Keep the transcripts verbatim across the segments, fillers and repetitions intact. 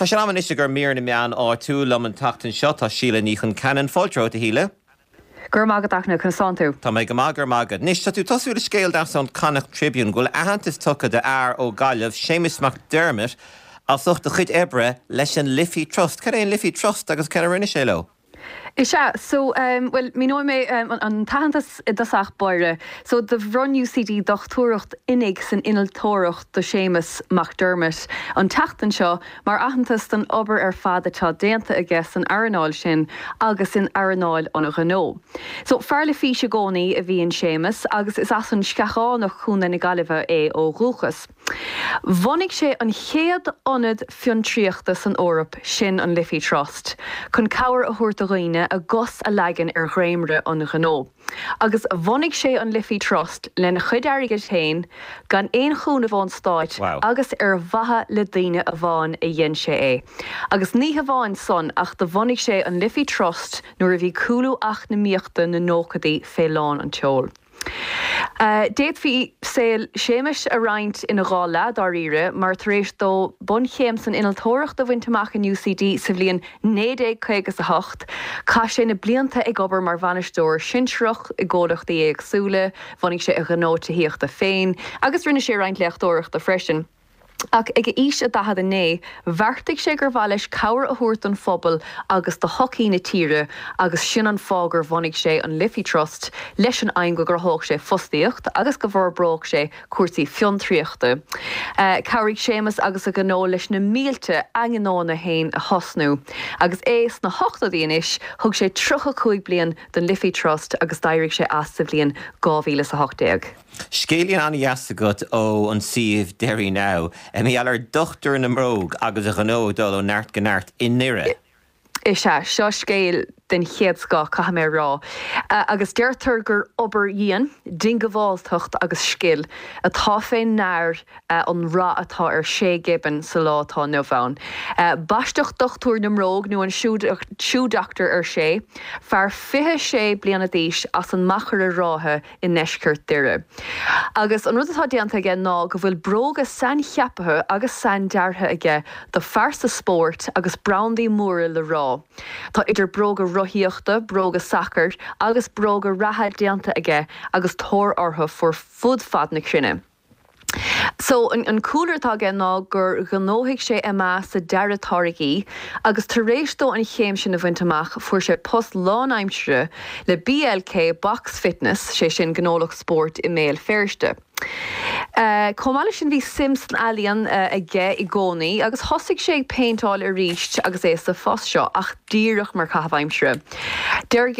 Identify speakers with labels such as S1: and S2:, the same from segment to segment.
S1: Tá sé am anois ag mír na meán áitiúil liom an tseachtain seo tá Síle Ní Chonceanainn fáilte romhat a Shíle.
S2: Gur mágad achna chun tú.
S1: Tá mé go maith gur mágad. Anois tá tú tosú le scéal deas ón Connacht Tribune go bhfuil aitheantas tugtha do fhear ó Ghaillimh, Séamus McDermott, as ucht a chuid oibre leis an Liffey Trust. Cad é an Liffey Trust agus cad a rinne sé leo?
S2: Is ea so um, well míneoidh mé um, an, an t-aitheantas i dtosach báire, so do bhronn UCD dochtúireacht oinigh san innealtóireacht do Séamus McDermott an tseachtain seo mar aitheantas don obair ar fad atá déanta aige san earnáil sin agus in earnáil an ghnó. So fear le fís i gcónaí a bhí in Séamus agus is as an Sceachánach Contae na Gaillimhe é ó dhúchas. Bhunaigh sé an chéad ionad fiontraíochta san Eoraip sin an Liffey Trust, chun cabhair a thabhairt do dhaoine a gcos a leagan ar dhréimire an ghnó. Agus bhunaigh sé an Liffey Trust lena chuid airgid féin gan aon chúnamh ón stát
S1: Wow.
S2: agus ar mhaithe le daoine amháin a dhein sé é. Agus ní hamháin san ach do bhunaigh sé an Liffey Trust nuair a bhí cúlú eacnamaíochta na nóchaidí fé lán an tseoil. Uh, D'fhéadfaí saol Séamus a roinnt ina dhá leath dáiríre mar tar éis dó bunchéim san innealtóireacht a bhaint amach in UCD sa bhliain naoi déag caoga a hocht, Chaith sé na blianta ag obair mar bhainisteoir sinsearach i gcomhlachtaí éagsúla, bhunaigh sé a ghnó tithíochta féin, agus rinne sé roinnt léachtóireachta freisin. Ach ag a aois a daichead a naoi, bheartaigh sé gur mhaith leis cabhair a thabhairt don phobal agus do shochaí na tíre agus sin an fáth gur bhunaigh sé an Liffey Trust leis an aidhm go gcruthódh sé fostaíocht agus go bhforbródh sé cúrsaí fiontraíochta. Uh, Chabhraigh Séamus agus a ghnó leis na mílte a ngnónna féin a thosnú. Agus é sna hochtóidí anois thug sé tríocha cúig bliain don Liffey Trust agus d'éirigh sé as sa bhliain dhá mhíle a hocht déag.
S1: Scéilín an-dheas agat ó an suíomh Derry Now, mar gheall ar dochtúir na mbróg agus a ghnó dul ó neart go neart i nDoire.
S2: Is ea seo scéal den chéad scoth caithfidh mé rá. Uh, agus deirtear gur obair dhian, diongbháilteacht agus scil atá fé ndear uh, an rath atá ar Shay Gibbon sa lá atá inniu ann. Uh, Baisteadh dochtúir na mbróg nó an shoe doctor ar Shay, fear fiche sé bliana d'aois as an Machaire Rátha i ndeisceart Dhoire. Agus an rud atá déanta aige ná go bhfuil bróga saincheaptha agus saindeartha aige do phearsa spóirt agus brandaí móra le rá. Tá idir bróga rothaíochta, bróga sacair agus bróga reatha déanta aige agus tóir orthu fur fud fad na cruinne. So an, an cúlra atá aige ná gur ghnóthaigh sé MA sa dearadh táirgí, agus tar éis dó an chéim sin a bhaint amach fuair sé post lánaimseartha le BLK Box Fitness sé sin gnólacht spóirt i mBéal Feirste. Uh, Chomh sin bhí suim san ealaín uh, aige i gcónaí agus thosaigh sé ag péinteáil arís agus é sa phost seo ach díreach mar chaitheamh aimsire. Deir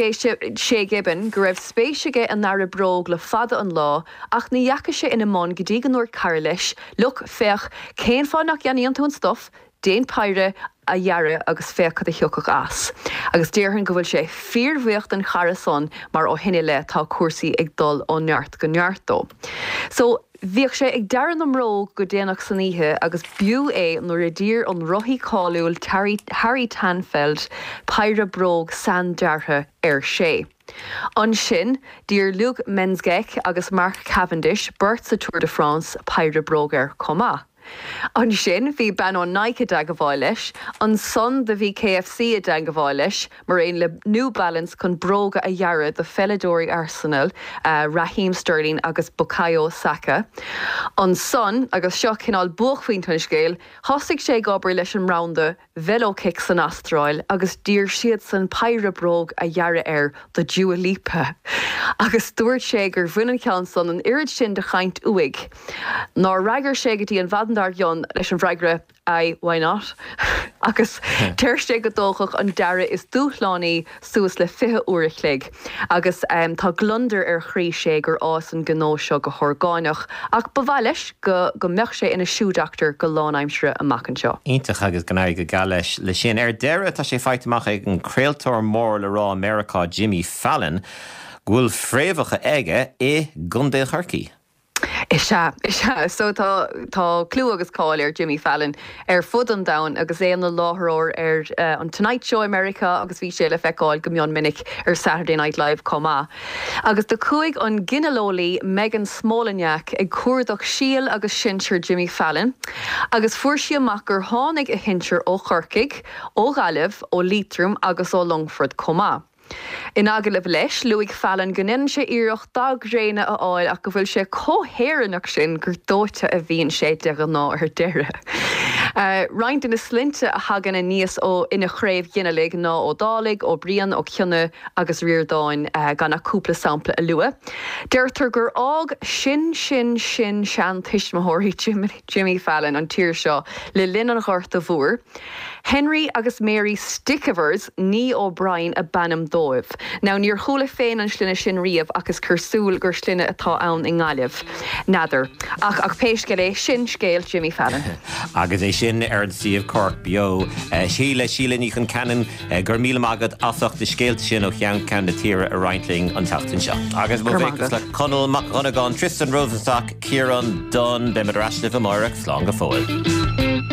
S2: Shay Gibbon go raibh spéis aige i ndearadh bróg le fada an lá ach ní dheachaigh sé ina mbun go dtí go ndúirt cara leis, Look féach cén fáth nach gceannaíonn tú an stuif, déan péire a dhearadh agus féach cad a thiocfadh as. Agus déarfainn go bhfuil sé fíorbhuíoch den chara san mar ó shin i leith tá cúrsaí ag dul ó neart go neart dó. So bhíodh sé ag dearadh na mbróg go déanach san oíche agus b'fhiú é nuair a d'iarr an rothaí cáiliúil Harry Tanfeld péire bróg saindeartha ar Shay. Ansin d'iarr Luke Mensgec agus Mark Cavendish beirt sa Tour de France péire bróg air chomh maith. Ansin bhí bean ó Nike i dteagmháil leis, ansan do bhí KFC i dteagmháil leis, mar aon le New Balance chun bróga a dhearadh do pheileadóirí Arsenal, uh, Raheem Sterling agus Bukayo Saka. Ansan agus seo cineál buaicphointe an scéil, thosaigh sé ag obair leis an mbranda Velokick san Astráil agus d'iarr siad san péire bróg a dhearadh air do Dua Lipa. Agus dúirt sé gur bhain an ceann san an oiread sin de chaint uaidh. Nár fhreagair sé go dtí an mhaidin dár gcionn leis an bhfreagra I why not? agus deir sé go dtógfadh an dearadh is dúshlánaí suas le fiche uair a chloig. Agus um, tá gliondar ar chroí sé gur fhás an gnó seo go horgánach, ach ba mhaith leis go go mbeadh sé ina shoe doctor go lánaimseartha amach anseo.
S1: Iontach agus go n-éirí go geal leis le sin. Ar deireadh tá sé faighte amach ag an craoltóir mór le rá Meiriceá Jimmy Fallon, go bhfuil fréamhacha aige i gContae Chorcaí.
S2: Is ea, is ea. So tá tá clú agus cáil ar Jimmy Fallon ar fud an domhain agus é ina láithreoir ar uh, an Tonight Show i Meiriceá agus bhí sé le feiceáil go mion minic ar Saturday Night Live chomh maith. Agus do chuaigh an ginealeolaí Megan Smolenyak ag cuardach síol agus sinsear Jimmy Fallon, agus fuair sí amach gur tháinig a shinsir ó Chorcaigh, ó Ghaillimh, ó Liatroim agus ó Longfort chomh maith. In agallamh leis, luaigh Fallon go ndéanann sé iarracht dath gréine a fháil ach go bhfuil sé chomh hÉireannach sin gur dóite a bhíonn sé de ghnáth ar deireadh. Uh, Roinnt de na sloinnte a thagann aníos ó ina chraobh ghinealaigh ná Ó Dálaigh, Ó Briain, Ó Cionnaith agus Ríordáin uh, gan ach cúpla sampla a lua. Deirtear gur fhág sin sin sin seantuismitheoirí Jimmy, Jimmy Fallon an tír seo le linn an Ghorta Mhóir. Henry agus Mary Stickevers ní O'Brien ab ainm dóibh. Now níor chuala féin an sloinne sin riamh ach is cosúil gur sloinne atá ann i nGaillimh. N'fheadar. Ach ach pé scéal é sin scéal Jimmy Fallon.
S1: Agus é sin ar an suíomh Cork Beo. Síle Síle Ní Chonceanainn go raibh míle maith agat as ucht na scéalta sin ó cheann ceann na tíre a roinnt linn an tseachtain seo. Agus mo bhuíochas le Conall Mac Dhonnagáin Tristan Rosenstock, Ciarán Dunne, beimid ar ais libh amárach slán go fóill.